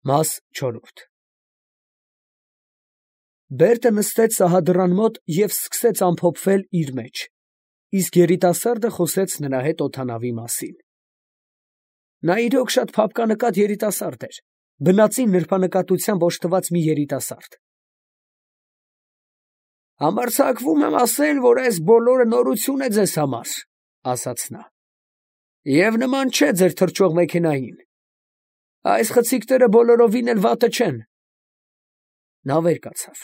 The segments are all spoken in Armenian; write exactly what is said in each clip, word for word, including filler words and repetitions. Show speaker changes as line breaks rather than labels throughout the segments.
Մաս չորրորդ Բերտը նստեց սահադրան մոտ և սկսեց ամփոփվել իր մեջ, իսկ երիտասարդը խոսեց նրա հետ օդանավի մասին։ Նա իրոք շատ փափկանկատ երիտասարդ էր, բնածին նրբանկատությամբ օժտված մի երիտասարդ։ Համարձակվում եմ ասել, որ այս բոլորը նորություն է ձեզ համար, ասաց նա, և նման չէ ձեր թռչող մեքենային։ Այս խցիկները բոլորովին էլ վատը չեն։ Նա վեր կացավ,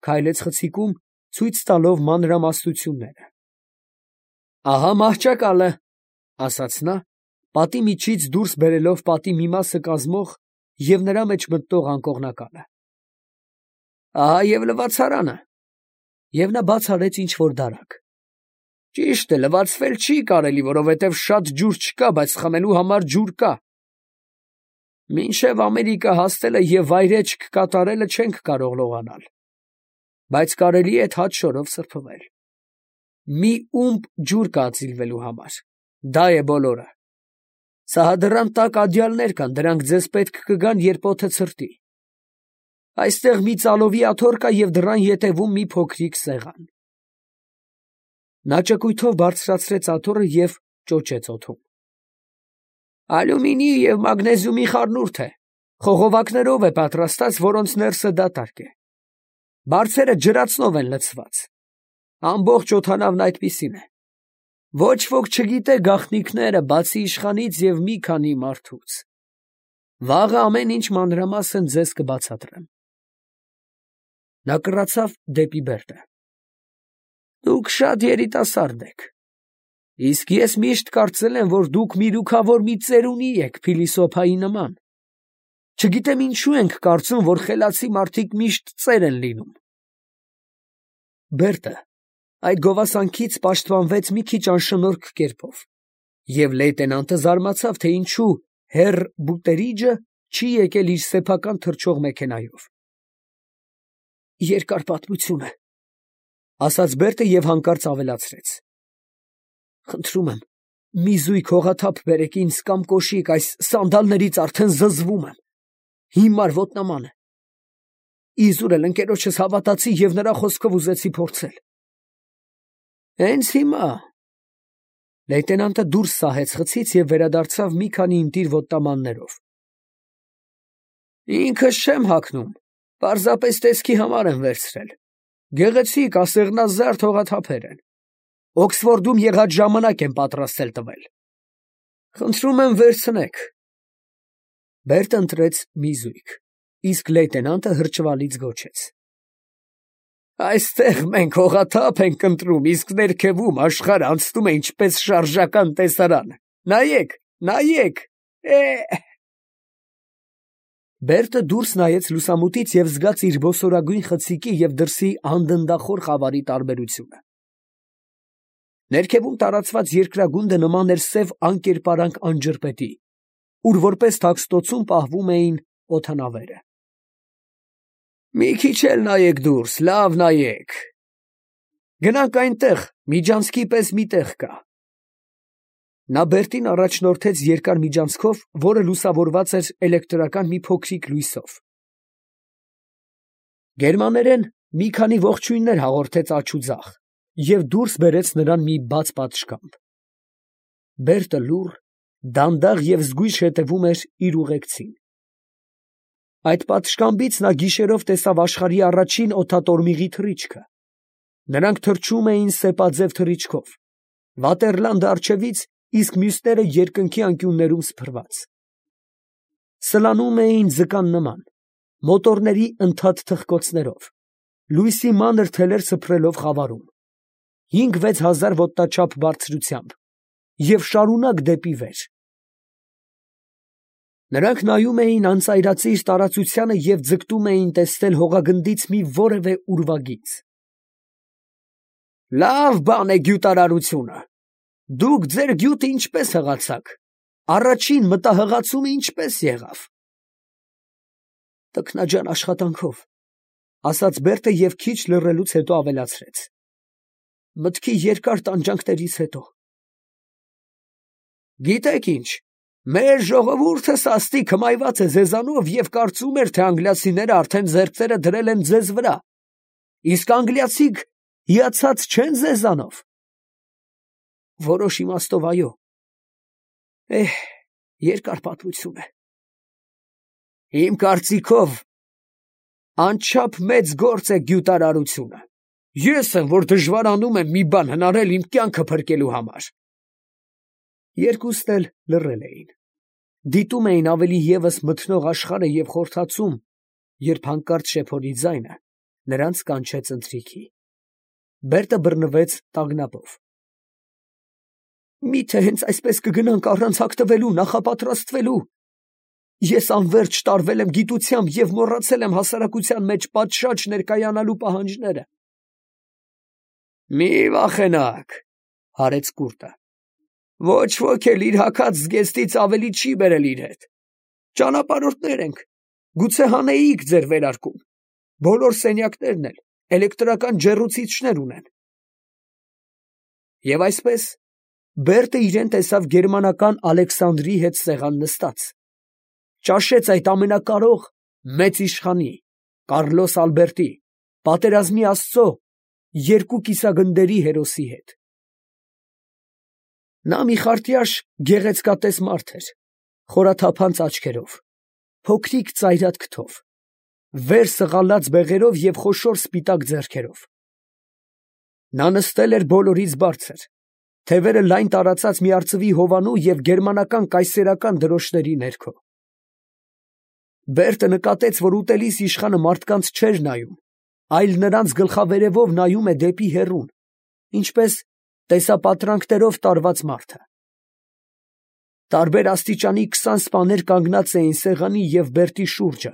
քայլեց խցիկում, ցույց տալով մանրամասնությունները։ Ահա մահճակալը, ասաց նա, պատի միջից դուրս բերելով պատի մի մասը կազմող և նրա մեջ մտնող անկողնականը։ Ահա և լվացարանը, և նա բաց արեց ինչ֊որ դարակ։ Ճիշտ է, լվացվել չի կարելի, որովհետև շատ ջուր չկա, բայց խմելու համար ջուր կա։ Մինչև Ամերիկա հասնելը և վայրէջք կատարելը չենք կարող լողանալ, բայց կարելի է թաց շորով սրբվել։ Մի ումպ ջուր կա ծիլվելու համար, դա է բոլորը։ Սահադրան տակ ադյալներ կան, դրանք ձեզ պետք կգան, երբ օդը ցրտի։ Այստեղ մի ծալովի աթոռ կա և դռան ետևում մի փոքրիկ սեղան։ Նա ճկույթով բարձրացրեց աթոռը և ճոճեց օդում։ Ալյումինի և մագնեզիումի խառնուրդ է, խողովակներով է պատրաստած, որոնց ներսը դատարկ է։ Բարձերը ջրածնով են լցված։ Ամբողջ օդանավն այդպիսին է։ Ոչ ոք չգիտե գաղտնիքները, բացի իշխանից և մի քանի մարդուց։ Վաղը ամեն ինչ մանրամասն ձեզ կբացատրեմ։ Նա կռացավ դեպի Բերտը։ Դուք շատ երիտասարդ եք, իսկ ես միշտ կարծել եմ, որ դուք միրուքավոր մի ծերունի եք, փիլիսոփայի նման։ Չգիտեմ ինչու ենք կարծում, որ խելացի մարդիկ միշտ ծեր են լինում։ Բերտը այդ գովասանքից պաշտպանվեց մի քիչ անշնորհք կերպով, և լեյտենանտը զարմացավ, թե ինչու հեռ Բուտերիջը չի եկել իր սեփական թռչող մեքենայով։ Երկար պատմություն է, ասաց Բերտը և հանկարծ ավելացրեց. Խնդրում եմ, մի զույգ հողաթափ բերեք ինձ կամ կոշիկ, այս սանդալներից արդեն զզվում եմ, հիմար ոտնաման է։ Իզուր էլ ընկերոջս հավատացի և նրա խոսքով ուզեցի փորձել։ Հենց հիմա… Լեյտենանտը դուրս սահեց խցից և վերադարձավ մի քանի ընտիր ոտնամաններով։ Ինքս չեմ հագնում, պարզապես տեսքի համար եմ վերցրել։ Գեղեցիկ, ասեղնազարդ հողաթափեր են։ Օքսֆորդում եղած ժամանակ եմ պատրաստել տվել։ Խնդրում եմ վերցնեք։ Բերտը ընտրեց մի զույգ, իսկ լեյտենանտը հրճվալից գոչեց. Այստեղ մենք հողաթափ ենք ընտրում, իսկ ներքևում աշխարհը անցնում է ինչպես շարժական տեսարան։ Նայեք, նայեք, է… Բերտը դուրս նայեց լուսամուտից և զգաց իր ոսորագույն խցիկի և դրսի անդնդախոր խավարի տարբերությունը։ Ներքևում տարածված երկրագունդը նման էր սև անկերպարանք անջրպետի, ուր որպես թաքստոցում պահվում էին օդանավերը։ Մի քիչ էլ նայեք դուրս, լավ նայեք։ Գնանք այնտեղ, միջանցքի պես մի տեղ կա։ Նա Բերտին առաջնորդեց երկար միջանցքով, որը լուսավորված էր էլեկտրական մի փոքրիկ լույսով։ Գերմաներեն մի քանի ողջույններ հաղորդեց աջ ու ձախ և դուրս բերեց նրան մի բաց պատշգամբ։ Բերտը լուռ, դանդաղ և զգույշ հետևում էր իր ուղեկցին։ Այդ պատշգամբից նա գիշերով տեսավ աշխարհի առաջին օդատորմիղի թռիչքը։ Նրանք թռչում էին սեպաձև թռիչքով, Վատերլանդը առջևից, իսկ մյուսները երկնքի անկյուններում սփռված։ Սլանում էին ձկան նման, մոտորների ընդհատ թխկոցներով, լույսի մանր թելեր սփռելով խավարում, հինգ֊վեց հազար ոտնաչափ բարձրությամբ և շարունակ դեպի վեր։ Նրանք նայում էին անծայրածիր տարածությանը և ձգտում էին տեսնել հողագնդից մի որևէ ուրվագիծ։ Լավ բան է գյուտարարությունը։ Դուք ձեր գյուտը ինչպես հղացաք, առաջին մտահղացումը ինչպես եղավ։ Տքնաջան աշխատանքով, ասաց Բերտը և քիչ լռելուց հետո ավելացրեց. Մտքի երկար տանջանքներից հետո։ Գիտեք ինչ, Մեր ժողովուրդը սաստիկ հմայված է ձեզանով և կարծում էր, թե անգլիացիները արդեն ձեռքերը դրել են ձեզ վրա, իսկ անգլիացիք հիացած չեն ձեզանով։ Որոշ իմաստով այո։ Էհ, երկար պատմություն է։ Իմ կարծիքով անչափ մեծ գործ է գյուտարարությունը։ Ես եմ, որ դժվարանում եմ մի բան հնարել իմ կյանքը փրկելու համար։ Երկուսն էլ լռել էին։ Դիտում էին ավելի ևս մթնող աշխարհը և խորհրդածում, երբ հանկարծ շեփորի ձայնը նրանց կանչեց ընթրիքի։ Բերտը բռնվեց տագնապով։ Մի՞թե հենց այսպես կգնանք առանց հագտվելու, նախապատրաստվելու։ Ես անվերջ տարվել եմ գիտությամբ և մոռացել եմ հասարակության մեջ պատշաճ ներկայանալու պահանջները։ Մի վախենաք, հարեց կուրտը։ Ոչ ոք էլ իր հագած զգեստից ավելի չի բերել իր հետ։ Ճանապարհորդներ ենք, գուցե հանեիք ձեր վերարկուն։ Բոլոր սենյակներն էլ էլեկտրական ջեռուցիչներ ունեն։ Եվ այսպես Բերտը իրեն տեսավ գերմանական Ալեքսանդրի հետ սեղան նստած, ճաշեց այդ ամենակարող մեծ իշխանի, Կարլոս Ալբերտի, պատերազմի աստծո երկու կիսագնդերի հերոսի հետ։ Նա մի խարտյաշ գեղեցկատես մարդ էր, խորաթափանց աչքերով, փոքրիկ ծայրատ քթով, վեր սղալած բեղերով և խոշոր սպիտակ ձեռքերով։ Նա նստել էր բոլորից բարձր, թևերը լայն տարածած մի արծվի հովանու և գերմանական կայսերական դրոշների ներքո։ Բերտը նկատեց, որ ուտելիս իշխանը մարդկանց չէր նայում, այլ նրանց գլխավերևով նայում է դեպի հեռուն, ինչպես տեսապատրանքներով տարված մարդը։ Տարբեր աստիճանի քսան սպաներ կանգնած էին սեղանի և Բերտի շուրջը,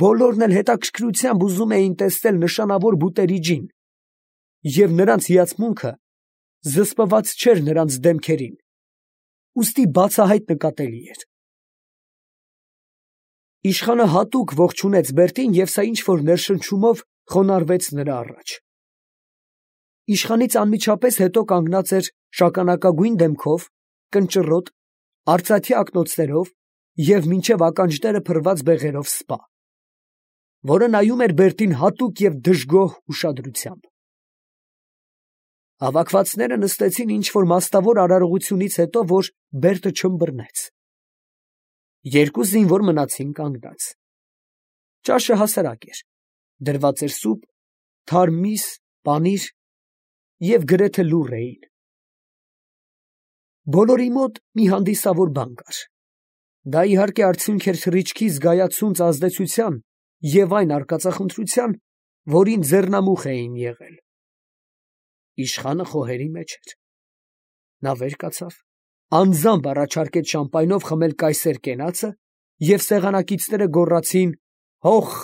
բոլորն էլ հետաքրքրությամբ ուզում էին տեսնել նշանավոր բուտերի ջին, և նրանց հիացմունքը զսպված չէր նրանց դեմքերին, ուստի բացահայտ նկատելի էր։ Իշխանը հատուկ ողջունեց Բերտին և սա ինչ-որ ներշնչումով խոնարհվեց նրա առաջ։ Իշխանից անմիջապես հետո կանգնած էր շագանակագույն դեմքով, կնճռոտ, արծաթյա ակնոցներով և մինչև ականջները փռված բեղերով սպա, որը նայում էր Բերտին հատուկ և դժգոհ ուշադրությամբ։ Հավաքվածները նստեցին ինչ-որ մաստավոր արարողությունից հետո, որ Բերտը չըմբռնեց։ Երկու զինվոր մնացին կանգնած։ Ճաշը հասարակ էր, դրված էր սուպ, թարմ միս, պանիր և գրեթե լուռ էին։ Բոլորի մոտ մի հանդիսավոր բան կար։ Դա իհարկե արդյունք էր թռիչքի զգայացունց ազդեցության և այն արկածախնդրության, որին ձեռնամուխ էին եղել։ Իշխանը խոհերի մեջ էր։ Նա վեր կացավ, անձամբ առաջարկեց շամպայնով խմել կայսեր կենացը, և սեղանակիցները գոռացին «հոխ»։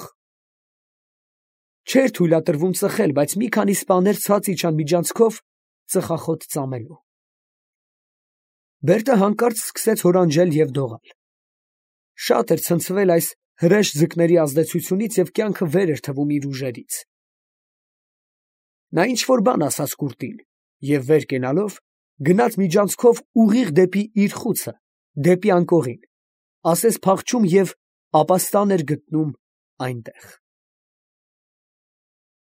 Չէր թույլատրվում ծխել, բայց մի քանի սպաներ ցած իջան միջանցքով ծխախոտ ծամելու։ Բերտը հանկարծ սկսեց հորանջել և դողալ։ Շատ էր ցնցվել այս հրեշ ձկների ազդեցությունից և կյանքը վեր էր թվում իր ուժերից։ Նա ինչ֊որ բան ասաց կուրտին և վեր կենալով գնաց միջանցքով ուղիղ դեպի իր խուցը, դեպի անկողին, ասես փախչում և ապաստան էր գտնում այնտեղ։